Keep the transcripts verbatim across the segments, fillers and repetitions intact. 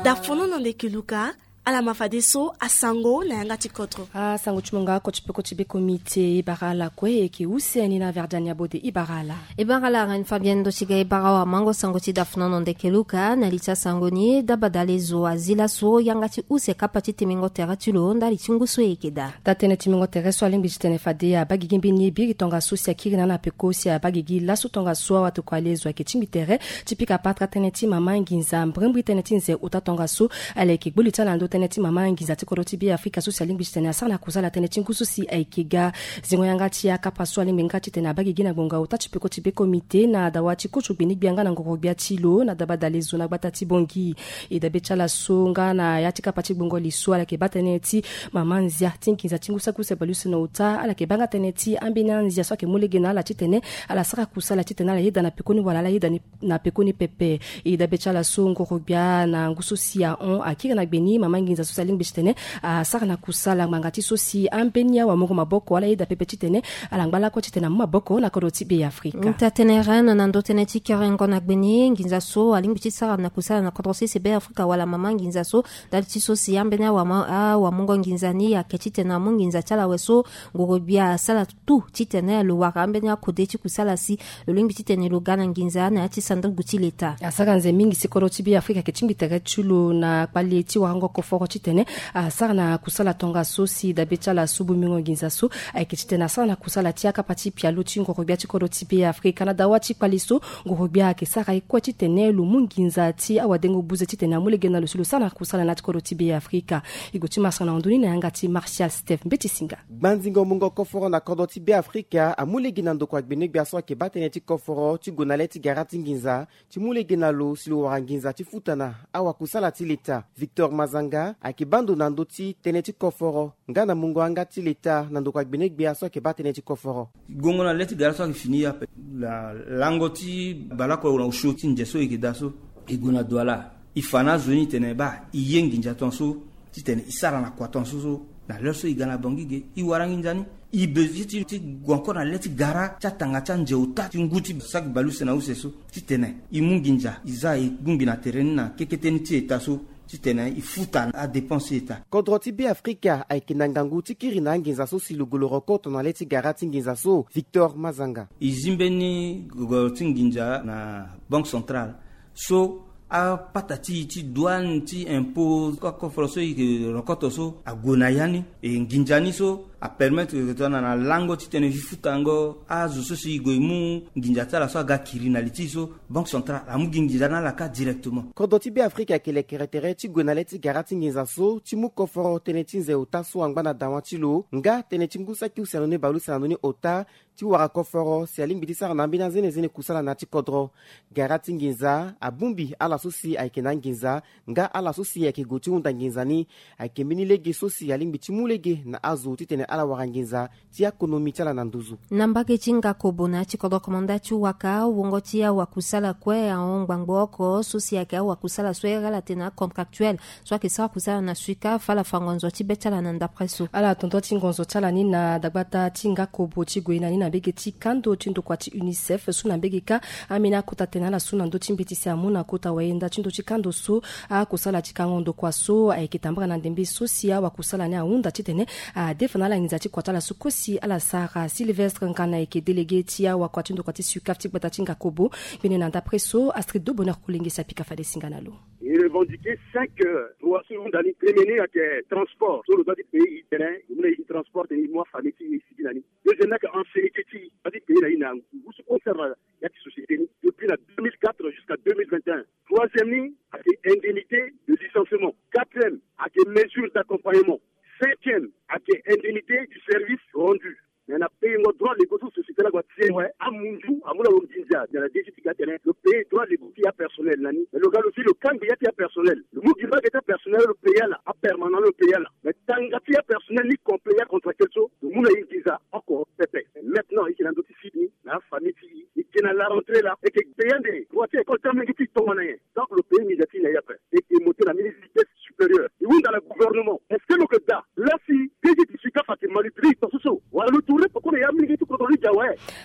Dafonono ndeke Luka, ala ma fadeso asango na yanga ti kodro. Asango ti mo nga oko ti peko ti be komite e bara ala kue e yeke use ni na Verdiane Abode e bara ala. E bara ala Reine Fabienne ndo ti ga e bara awamango sango ti dafonono ndeke Luka. Na li ti asango ni, dabadale zo azi laso yanga ti use kapa ti temingo tere ti lo ndali ti ngu so e yeke daa. Taa-tënë ti mingo tere so alingbi titene fade abaa gigi mbeni ye biri tongaso si akiri na ala na peko si abaa gigi laso tongaso awatokua lezo ayeke tingbi tere ti pika patara tënë ti mama nginza mbrimbri tënë ti nze ota tongaso. Ala yeke gbu li ti ala na ndö tënë ti mama nginza ti kodro ti Be Afrika so si alingbi titene asara na kusala tënë ti ngu so si ayeke ga. Zingo yanga ti akapa so alingbi nga titene abaa gigi na ngbonga ota ti peko ti be komite na dawa ti koso gbeni-gbia nga na ngoro-gbia ti lo na dabadale zo na gbata ti Bangui. E dabe ti ala so nga na ya ti kapa ti gbongo li so ala yeke baa tënë ti mama nzia ti nginza ti ngu saki use baleuse na ota. Ala yeke baa nga tënë ti ambeni anzia so ayeke mu lege na ala titene ala sara kusala titene ala yeda na pekoni wala ala yeda ni na pekoni pepe. E dabe ti ala so ngoro-gbia na ngu so si ahon akiri na gbe ni mama nginza so si alingbi titene asara na kusala ngbanga ti so si ambeni awamungo maboko ala yeda pepe titene ala ngba lakue titene amu maboko na kodro ti Be Afrika. Nta tënë Reine na ndö tënë ti kerengo na gbe ni nginza so alingbi ti sara na kusala na kodro sese Be Afrika wala mama nginza so ndali ti so si ambeni awa- awamungo nginza ni ayeke titene amu nginza ti ala awe so ngoro-gbia asara tout titene lo wara ambeni akode ti kusala si lo lingbi titene lo ga na nginza na ya ti sanduku ti leta. Asara nze mingi si kodro ti Be Afrika ayeke tingbi tere ti lo na kpale ti warango koforo titene asara na kusala tongaso si dabe ti ala so bomingo nginza so ayeke titene asara na kusala ti akapa ti pialo ti ngoro-gbia ti kodro ti Be Afrika na dawa ti kpale so ngoro-gbia ayeke sara ye kue titene lo mu nginza ti awadengo buze titene amu lege na lo si lo sara na kusala na ya ti kodro ti Be Afrika. E gue ti masanga na ndo ni na yanga ti Martial Steph Mbeti Singa. Gbanzingo mungo koforo na kodro ti Be Afrika amu lege na ndokua gbene-gbia so ayeke baa tënë ti koforo ti gue na le ti gara ti nginza ti mu lege na lo si lo wara nginza ti futa na awakusala ti leta. Victor Mazanga ayeke baa ndo na ndö ti tënë ti koforo nga na mungo yanga ti leta na ndokua gbene-gbia so ayeke baa tënë ti koforo. Gongo na le ti gara so ayeke fini ape. Na lango ti baleoko na osio ti nze so e yeke daa so, e gue na Douala. E fa na azo ni tene baa e ye nginza tongaso titene e sara na kua tongaso so na l'heure so e ga na Bangui ge e wara nginza ni. E besoin ti ti gue encore na le ti gara ti atanga ti anze ota ti ngu ti saki baleuse na use so titene e mu nginza e za e bongbi na tere ni na kekete ni ti eta so titene e futa adépense ti eta. Kodro ti Be Afrika ayeke na ngangu ti kiri na anginza so si lo gue lo rokoto na le ti gara ti nginza so. Victor Mazanga. E zi mbeni gogoro ti nginza na Banque Centrale so apata ti e ti douane ti impôt akoforo so e yeke rokoto so ague na ya ni. E nginza ni so apermettre tongana na lango titene e futango azo so si e gue e mu nginza ti ala so aga kiri na li ti e so Banque Centrale amu gi nginza na ala kâ directement. Kodro ti Be Afrika ayeke lekere tere ti gue na le ti gara ti nginza so ti mu koforo tënë ti nze ota so angba na dawa ti lo nga tënë ti ngu saki use na ndoni baleuse na ndoni ota ti wara koforo si alingbi ti sara na ambeni anzenezene kusala na ya ti kodro. Gara ti nginza abongbi ala so si ayeke na anginza nga ala so si ayeke gue ti hunda nginza ni. Ayeke mbeni lege so si alingbi ti mu lege na azo titene ala wara nginza ti akonomi ti ala na nduzu. Na mbage ti Ngakobo na ya ti kodro komanda ti waka wongo ti awakusala kue ahon ngbangbo oko so si ayeke awakusala so airi ala tene acontractuel so ayeke sara kusala na suika fâ ala fa ngonzo ti be ti ala na ndapre so. Ala tonto ti ngonzo ti ala ni na dagbata ti Ngakobo ti gue na ni na mbege ti kando ti ndokua ti UNICEF so na mbege kâ ambeni akota tene ala so na ndö ti mbeti si amu na kota wayenda ti ndö ti kando so akosala ti kango ndokua so ayeke tambara na ndembe so si awakusala ni ahunda titene adefa na ala nginza ti kua ti ala so kue si ala sara. Sylvestre Nkana ayeke délégué ti awakua ti ndokua ti suika ti gbata ti Ngakobo. Mbeni na ndapre so Astrid Do Bonheur Kolenge si apika fade singa na lo. E revendiquer cinq droits so e hunda ni. Premier ni ayeke transport so lo doit ti payer e tene e mu na e transport tene e mu afamille ti e e sigi na ni. Deuxième ni ayeke ancienneté ti e doit ti payer na e na ngu so concerne ya ti société ni depuis na deux mille quatre jusqu'à deux mille vingt et un. Troisième ni ayeke indemnité de licenciement. Quatrième ayeke mesure d'accompagnement. Cinquième ayeke indemnité du service rendu. Me na payengo droit légaux so société ni ague ti e awe amunzu amu na lo nginza. Me na desi ti ga tene lo paye droit légaux ti apersonnel na ni. Me lo ga lo si lo kangbi ya ti apersonnel lo mu gi mbage ti apersonnel lo paye ala, apermanent lo paye ala. Me tanga ti apersonnel ni complet ya contractuel so lo mu na e nginza oko pepe. Maintenant e yeke na ndö ti site ni na afamille ti e e yeke na la rentrée laa e yeke paye ande droit ti école ti amolenge ti e tongana nyen? Donc lo paye nginza ti e na e ape. E yeke monter na mbeni vitesse supérieure. E hunda na gouvernement, est-ce que lo yeke daa laa si DG ti SUCAF ayeke manipuler e tongaso so wala lo tourner peko na ya amolenge ti kodro ni?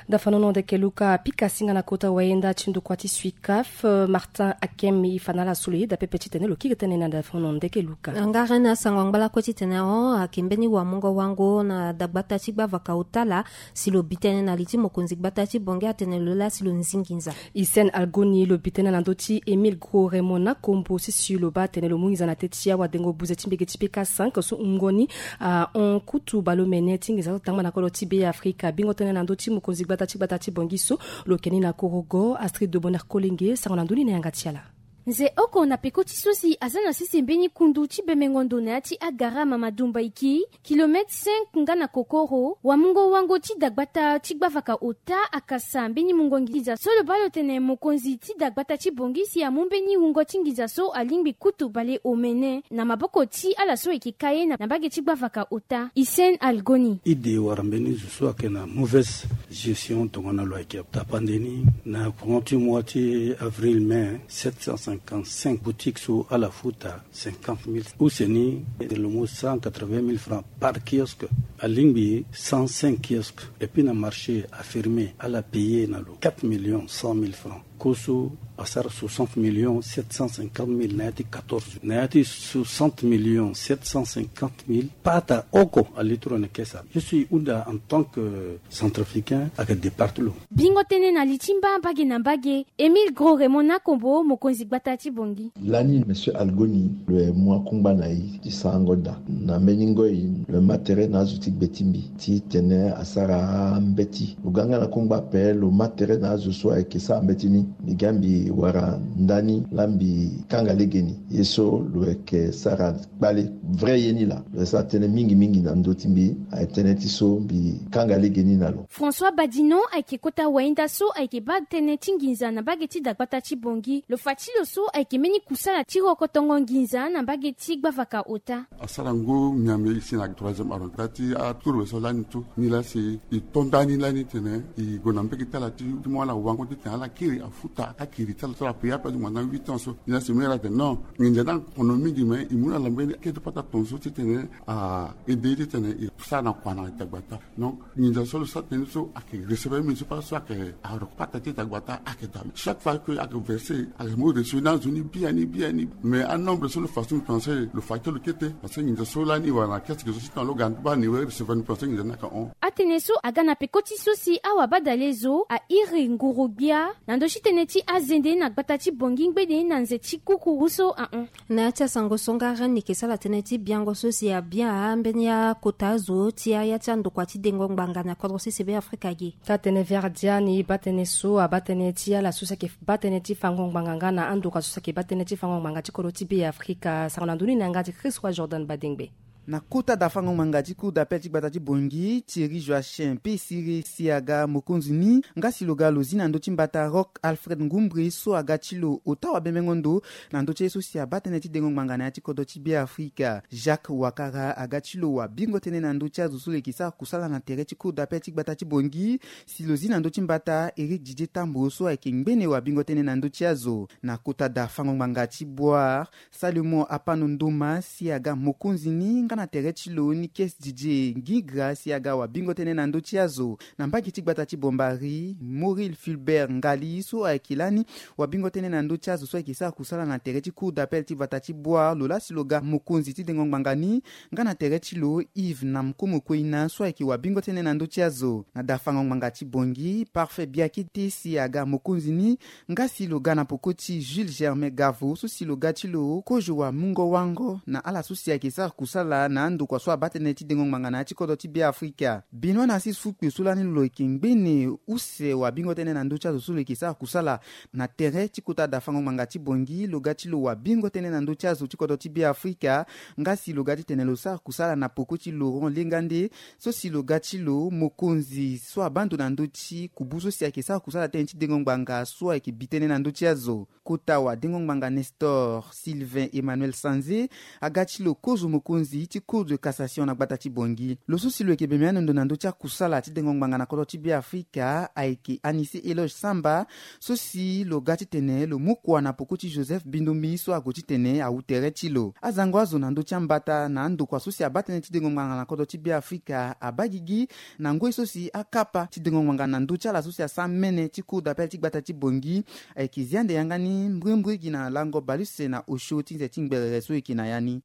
Dafanono ndeke luka pika singa na kota wayenda ti ndukua ti suikaf, martin akem ifana la solo yeda pepe titene lo kiri tene na dafanono ndeke luka. Ngara na sango angbalako titene o ake mbeni wamungo wango na dagbata ti gbavaka otala si lo bi tene na li ti mokonzi gbata ti bongi atene lo la si lo nzingi nza. Isen algoni lo bi tene na ndö ti emile gro remona kombo sisi lo baa tene lo mu nginza na te ti awadengo buze ti mbege ti peka cinq so ngoni ahon kutu baleomene ti nginza so tangba na kolo ti be afrika bingo tene na ndö ti mokonzi gbata ti gbata ti bongi so lo keni na korogo astrid de boner kolenge sango na ndö ni na yanga ti ala. Nze oko na peko ti so si aza na sese mbeni kundu ti bemengo ndo na ya ti agara mamadumba iki kilomètre cinq nga na kokoro wamungo wango ti dagbata ti gbavaka ota akasa mbeni mungo nginza so lo baa lo tene mokonzi ti dagbata ti bongi si amu mbeni wungo ti nginza so alingbi kutu baleomene na maboko ti ala so eke ka ye na mbage ti gbavaka ota isen algoni. Ide wara mbeni zo so ayeke na mauvaise gestion tongana lo ayeke tapande ni na courant ti mois ti avril mai sept cent cinquante-cinq boutique so ala futa cinquante mille use ni lo mu cent quatre-vingt mille francs par kiosque. Alingbi cent cinq kiosque et puis na marché affirmé ala paye na lo quatre millions cent mille francs. Koso asara soixante millions sept cent cinquante mille na ya ti quatorze na ya ti soixante millions sept cent cinquante mille pata oko alitro na kesa. Je suis hunda en tant que centrafricain ake départ lo. Bingo tene na li ti mba mbage na mbage emile gro remona kombo mokonzi gbata ti bongi. Lani monsieur algoni lo ye mu akungba na ye ti sarango daa na mbeni ngoi lo ma tere na azo ti gbe ti mbi ti tene asara mbeti lo ga nga na kungba ape lo ma tere na azo so ayeke sara mbeti ni. Mbi ga mbi wara ndani laa mbi kanga lege ni ye so lo yeke sara kpale vrai ye ni laa lo yeke sara tënë mingi mingi na ndö ti mbi. Aye tënë ti so mbi kanga lege ni na lo. François badino ayeke kota wainda so ayeke baa tënë ti nginza na mbage ti dagbata ti bongi lo fa ti lo so ayeke mbeni kusala ti rokotongo nginza na mbage ti gbavaka ota. Asara ngu miambe e si na troisième arrondissement ti aturuwe so lani tu ni laa si e to ndani lani tene e gue na mbege ti ala ti mu ala wango titene ala kiri afuta akiri ti ala so ala paye ape ti ngbanga huit ans so ni laa si mu ye ala tene non nginza ni akono mingi me e mu na ala mbeni kete pata tongaso titene a aide ye titene e sara na kua na dagbata. Donc nginza so lo sara tënë so ayeke recevoir mbi so pata so ayeke aroko pata ti dagbata ayeke daa chaque fois que ayeke verse ayeke mu reçu na azo ni biani biani. Mais anombre so lo fa so mbi pense lo fa ti lo kete parce que nginza so lani wala na kese ge so ti tongana lo ga ni baa ni we recevoir ni pense nginza ni ayeke hon. Atënë so aga na peko ti so si awabadale zo airi nguru-gbia na ndö ti tënë ti azende na gbata ti bongi ngbene na nze ti kukuru so ahon. Na ya ti asango so ngara ni yeke sara tënë ti biango so si abia mbeni akota azo ti aya ti andokua ti dengo ngbanga na kodro sese be afrika ge. Taa tënë verdia ni baa tënë so abaa tënë ti ala so si ayeke baa tënë ti fango ngbanga nga na andokua so si ayeke baa tënë ti fango ngbanga ti kodro ti be afrika sango na ndö ni na yanga ti christ roi jordan badengbe. Na kota dafango ngbanga ti cour d'appel ti gbata ti bongi thierry joachim pe siri si aga mokonzi ni nga si lo ga lo zi na ndö ti mbata rock alfred ngumbre so aga ti lo ota wabemengo ndo na ndö ti aye so si abaa tënë ti dengo ngbanga na ya ti kodro ti be afrika jacques wakara aga ti lo wabingo tënë na ndö ti azo so lo yeke sara kusala na tere ti cour d'appel ti gbata ti bongi si lo zi na ndö ti mbata eric didier tambo so ayeke ngbene wabingo tënë na ndö ti azo. Na kota dafango ngbanga ti boire salomon apano ndoma si aga mokonzi ni nga na tere ti lo nikes didier ngigra si aga wabingo tënë na ndö ti azo. Na mbage ti gbata ti bombari moril fulbert ngali so ayeke lani wabingo tënë na ndö ti azo so ayeke sara kusala na tere ti cour d'appel ti vata ti boire lo laa si lo ga mokonzi ti dengo ngbanga ni nga na tere ti lo yves na mkomoko ina so ayeke wabingo tënë na ndö ti azo. Na dafango ngbanga ti bongi parfait biakete si aga mokonzi ni nga si lo ga na poko ti jules germain gavo so si lo ga ti lo kozo wamungo wango na ala so si ayeke sara kusala na andokua so abaa tënë ti dengo ngbanga na ya ti kodro ti be afrika. Benoit na six fukpe so lani lo yeke ngbene use wabingo tënë na ndö ti azo so lo yeke sara kusala na tere ti kota dafango ngbanga ti bongi lo ga ti lo wabingo tënë na ndö ti azo ti kodro ti be afrika nga si lo ga titene lo sara kusala na poko ti laurent lengande so si lo ga ti lo mokonzi so abaa ndo na ndö ti kubu so si ayeke sara kusala tënë ti dengo ngbanga so ayeke bi tënë na ndö ti azo. Kota wadengo ngbanga nestor sylvain emmanuel sanze aga ti lo kozo mokonzi ti Cour de cassation na gbata ti Bangui. Lo so si lo yeke bembe ando na ndö ti akusala ti dengo ngbanga na kodro ti Beafrika ayeke Anicet Eloge Samba, so si lo ga titene lo mu kua na peko ti Joseph Bindumbi so ague titene awu tere ti lo. Azango azo na ndö ti ambata na andokua so si abaa tënë ti dengo ngbanga na kodro ti Beafrika abaa gigi na ngoi so si akapa ti dengo ngbanga na ndö ti ala so si asara mene ti Cour d'appel ti gbata ti Bangui ayeke zi ande yanga ni mbrimbri gi na lango baleuse na osio ti nze ti ngberere so e yeke na ya ni.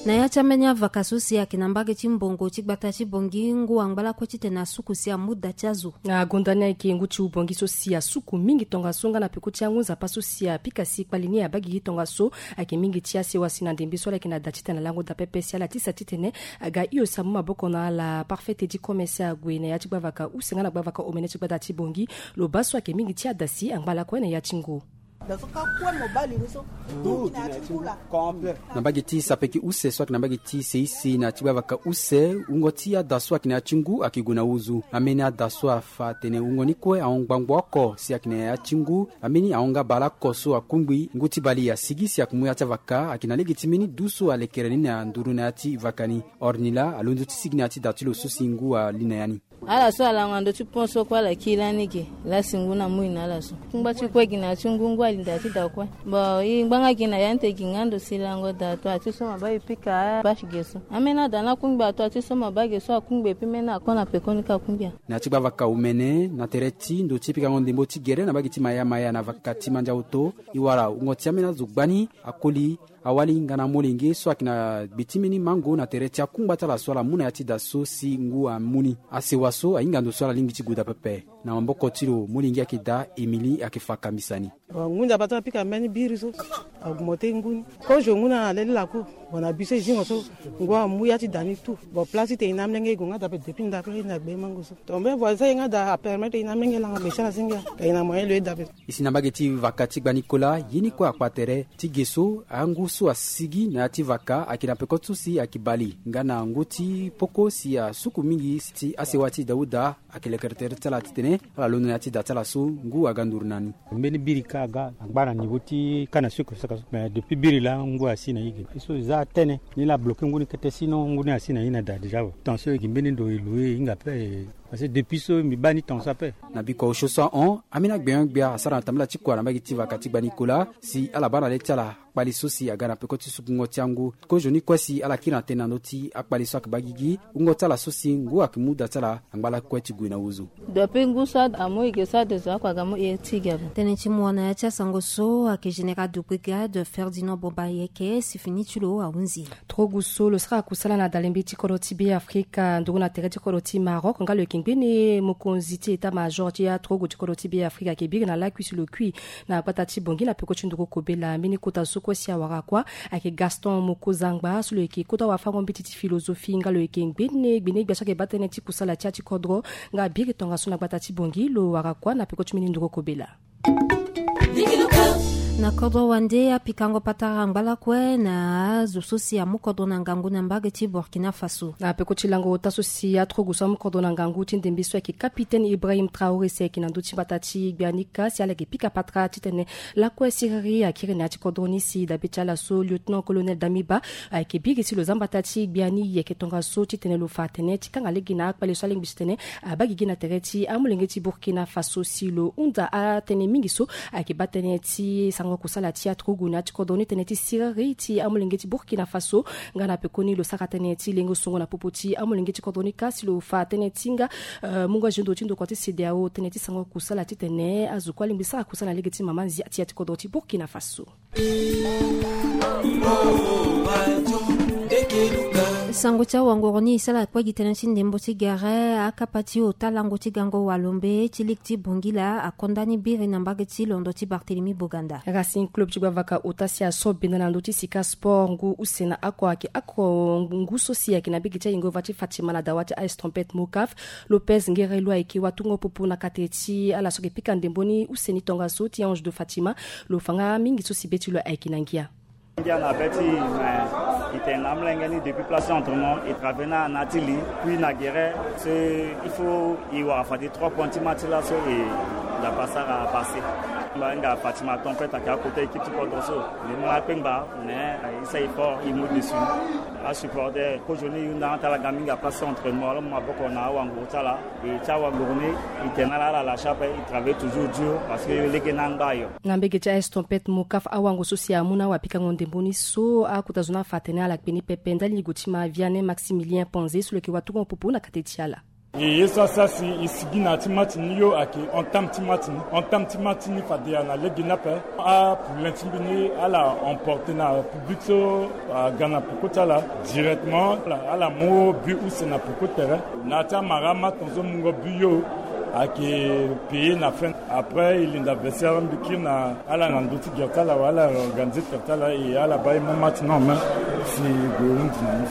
Na ya ti ambeni avaka so si ayeke na mbage ti mbongo ti gbata ti Bangui, ngu angba lakue titene asuku si amu da ti azo. Na gonda ni ayeke ngu ti hu Bangui so si asuku mingi tongaso nga na peko ti angu nzapa so si apika si kpali ni abaa gigi tongaso. Ayeke mingi ti asewa si na ndembe so ala yeke na da titene ala ngu da pepe si ala tisa titene aga hio si amu maboko na ala. Parfait Teddy Commerce ague na ya ti gbavaka use nga na gbavaka omene ti gbata ti Bangui. Lo baa so ayeke mingi ti ada si angba lakue na ya ti ngu. Na mbage ti sapeki use so ayeke na mbage ti seisi na ya ti gbavaka use, wungo ti ada so ayeke na ya ti ngu ayeke gue na wuzu. Ambeni ada so afa atene wungo ni kue ahon ngbangbo oko si ayeke na ya ti ngu. Ambeni ahon nga bale oko so akungbi. Ngu ti bale asigi si ayeke mu ya ti avaka ayeke na lege ti mbeni du so alekere ni na nduru na ya ti vaka ni. Ornila alondo ti sigi na ya ti da ti lo so si ngu ali na ya ni. Ala so alango na ndö ti pont so kue ala kiri lani ge. Lasi ngu ni amui na ala so. Kungba ti kue gi na ya ti ngu, ngu ali na da ti da kue. Bon, e ngbanga gi na ya ni te gi nga ndo si lango da atoa ti so ma baa e pika abâche ge so. Ambeni ada ni akungbi atoa ti so ma baa ge so akungbi, epui mbeni akon na pekoni ka akungbi a. Na ya ti gbavaka omene na tere ti ndo ti pikango ndembo ti gere na mbage ti Maya Maya na vaka ti Mandiaoto, e wara wungo ti ambeni azo gbani, akoli, awali nga na amolenge so ayeke na gbe ti mbeni mango na tere ti akungba ti ala so ala mu na ya ti da so si ngu amu ni. Asewa so ahinga ndo so ala lingbi ti gue da pepe. Na maboko ti lo molenge ayeke daa Émilie ayeke fa kambisa ni. Bon, ngu nzapa ti apika mbeni biri so. Augmente ngu ni. Kozo ngu ni alele laku. Bon, na bi so e zingo so ngu amu ya ti da ni tout. Bon, place ti tene e na amolenge e gue nga da pe depuis ndapre na gbe mango so. Ton mbeni voisin ye nga da apermettre e na amolenge e langa gbe ti ala si ngia. Ka e na moyen lo ye da pe. E si na mbage ti vaka ti Gbani Kola, ye ni kue akpa tere ti ge so angu so asigi na ya ti vaka ayeke na peko ti so si ayeke bale nga na ngu ti poko si asuku mingi si ti asewa ti Daouda. Ayeke lekere tere ti ala titene ala londo na ya ti da ti ala so ngu aga nduru na ni. Mbeni biri ka aga angba na niveau ti ka na sucre saka so. Mais depuis biri laa ngu asi na ye ge. Ye so e za tene ni laa abloke ngu ni kete, sinon ngu ni asi na ye na da déjà awe. Tension e gi mbeni ndo e loue e hinga ape. Parce que depuis so mbi baa ni tension ape. Na bikua osio so ahon, ambeni agbenyo-gbia asara na tambala ti kua na mbage ti vaka ti Gbani Kola si ala baa na le ti ala kpali so si aga na peko ti sukungo ti angu. Kozo ni kue si ala kiri na tënë na ndö ti akpali so ayeke baa gigi, wungo ti ala so si ngu ayeke mu da ti ala angba lakue ti gue na wuzu. Depuis ngu so amu e ge so ade zo oko aga mu e ti ge ape. Tënë ti mu wa na ya ti asango so ayeke général de brigade Ferdinand Bombayeke si fini ti lo ahunzi. Trogu so lo sara kusala na dalembe ti kodro ti Beafrika nduru na tere ti kodro ti Maroc nga lo yeke ngbene mokonzi ti état-major ti aturugu ti kodro ti Beafrika ayeke biri na lakui si lo kui na gbata ti Bangui na peko ti nduru kobela. Mbeni kota so kue si awara kuâ ayeke Gaston Mokozangba so lo yeke kota wafango-mbeti ti philosophie nga lo yeke ngbene gbene-gbia so ayeke baa tënë ti kusala ti ya ti kodro nga abiri tongaso na gbata ti Bangui. Lo wara kuâ na peko ti mbeni nduru kobela. Na kodro wande apikango patara angba lakue na azo so si amu kodro na ngangu na mbage ti Burkina Faso. Na peko ti lango ota so si aturugu so amu kodro na ngangu ti ndembe so ayeke capitaine Ibrahim Traoré si ayeke na ndö ti mbata ti gbia ni ka si ala yeke pika patara titene lakue siriri akiri na ya ti kodro ni si dabe ti ala so lieutenant colonel Damiba ayeke biri si lo za mbata ti gbia ni yeke tongaso titene lo fa atene ti kanga lege na akpale so alingbi titene abaa gigi na tere ti amolenge ti Burkina Faso si lo hunda atënë mingi so ayeke baa tënë ti sango kusala ti aturugu na ya ti kodro ni tënë ti siriri ti amolenge ti Burkina Faso. Nga na pekoni lo sara tënë ti lengo songo na popo ti amolenge ti kodro ni ka si lo fa tënë ti nga, eh, mungo azo ndo ti ndokua ti CEDEAO tënë ti sango kusala titene azo kue alingbi sara kusala na lege ti mama nzia ti ya ti kodro ti Burkina Faso. Sango ti awangoro ni e sara kue gi tënë ti ndembo ti gere. Akapa ti ota lango ti gango walombe ti ligue ti Bangui la akonda ni biri na mbage ti londo ti Barthélemy Boganda. Racing Club ti gbavaka ota si aso benda na ndö ti Sika Sport ngu use na oko ayeke oko ngu so si ayeke na mbage ti ayingo va ti Fatima na dawa ti A S Trompette Mocaf. Lopez Ngerelo ayeke watungo pupu na kate ti ala so ayeke pika ndembo ni use ni tongaso ti Ange de Fatima. Lo fa nga mingi so si be ti lo ayeke na ngia. Ngia na be ti e, mais e tene na amolenge ni depuis place d'entraînement, e travailler na ala na ya ti li, puis na gere so il faut e wara fade trois points ti match laso e La pasara a passé. Mba hinga Fatima Tempête ake akota équipe ti kodro so. Mbi mu akpengba, mais il s'est fort, il mu dessus. Asupporter kozo ni yunda atalaga mingi, apasse entraînement, ala mu maboko na awanguru ti ala. E ti awanguru ni, e tene ala ala la chape, e travaille toujours dur parce que yo lege na angba yo. Na mbege ti A S Tempête, Mokaf, awango so si amu na awapikango ndembo ni so akota zo ni afa atene ala kpe ni pepe ndali ligo ti ma Vianney Maximilien Panze so lo yeke waturango popo na kate ti ala. E ye so asara si e sigi na ya ti match ni yo ayeke entame ti match ni. Entame ti match ni fade ala na lege ni ape. Apoulain ti mbi ni ala emporte na public so aga na peko ti ala directement. Ala mu but use na peko terrain. Na ya ti amara ama tongaso mungo but yo ayeke paye na fin. Après e linda vestiaire mbi kiri na ala na ndö ti gere ti ala wala ala organiser gere ti ala e ala baa e mu match ni en main si e gue hunzi na ni.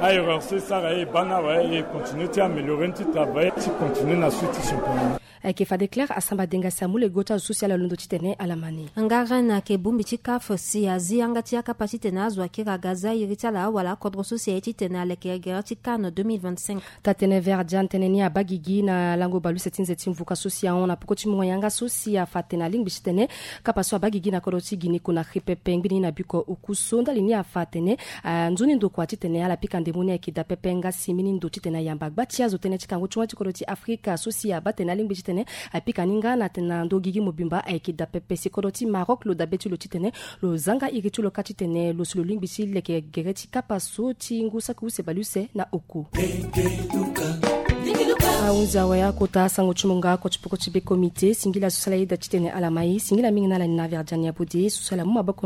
Aerreur so e sara e baa ni awe, e continue ti améliorer ni ti travail ti continue na suite ti championnat ni. Ayeke fade Claire Asamba Denga si amu lego ti azo so si ala londo titene ala ma ni. Nga Rennes ayeke bongbi ti CAF si azi yanga ti akapa titene azo akiri aga za iri ti ala wala akodro so si aye titene aleke gere ti CAN deux mille vingt-cinq. Taa-tënë Verdjan tënë ni abaa gigi na lango bale use ti nze ti mvuka so si ahon na peko ti mungo yanga so si afa atene alingbi titene kapa so abaa gigi na kodro ti Guinée Conakry pepe ngbeni na biko oku so ndali ni afa atene, ah, nzoni ndo kua titene ala pika ndembo ni ayeke daa pepe nga si mbeni ndo titene ayamba gba ti azo tënë ti kango ti wani ti kodro ti Afrika so si abaa tene alingbi titene apika ni nga na tene na ndo gigi mobimba ayeke daa pepe si kodro ti Maroc lo dabe ti lo titene lo zanga iri ti lo kâ titene lo si lo lingbi ti leke gere ti kapa so ti ngu saki use bale use na oku. Ahunzi awe akota asango ti mungo oko ti peko ti be comité. Singila so si ala yeda titene ala ma e. Singila mingi na ala ni na Verdjan Yabode so si ala mu maboko na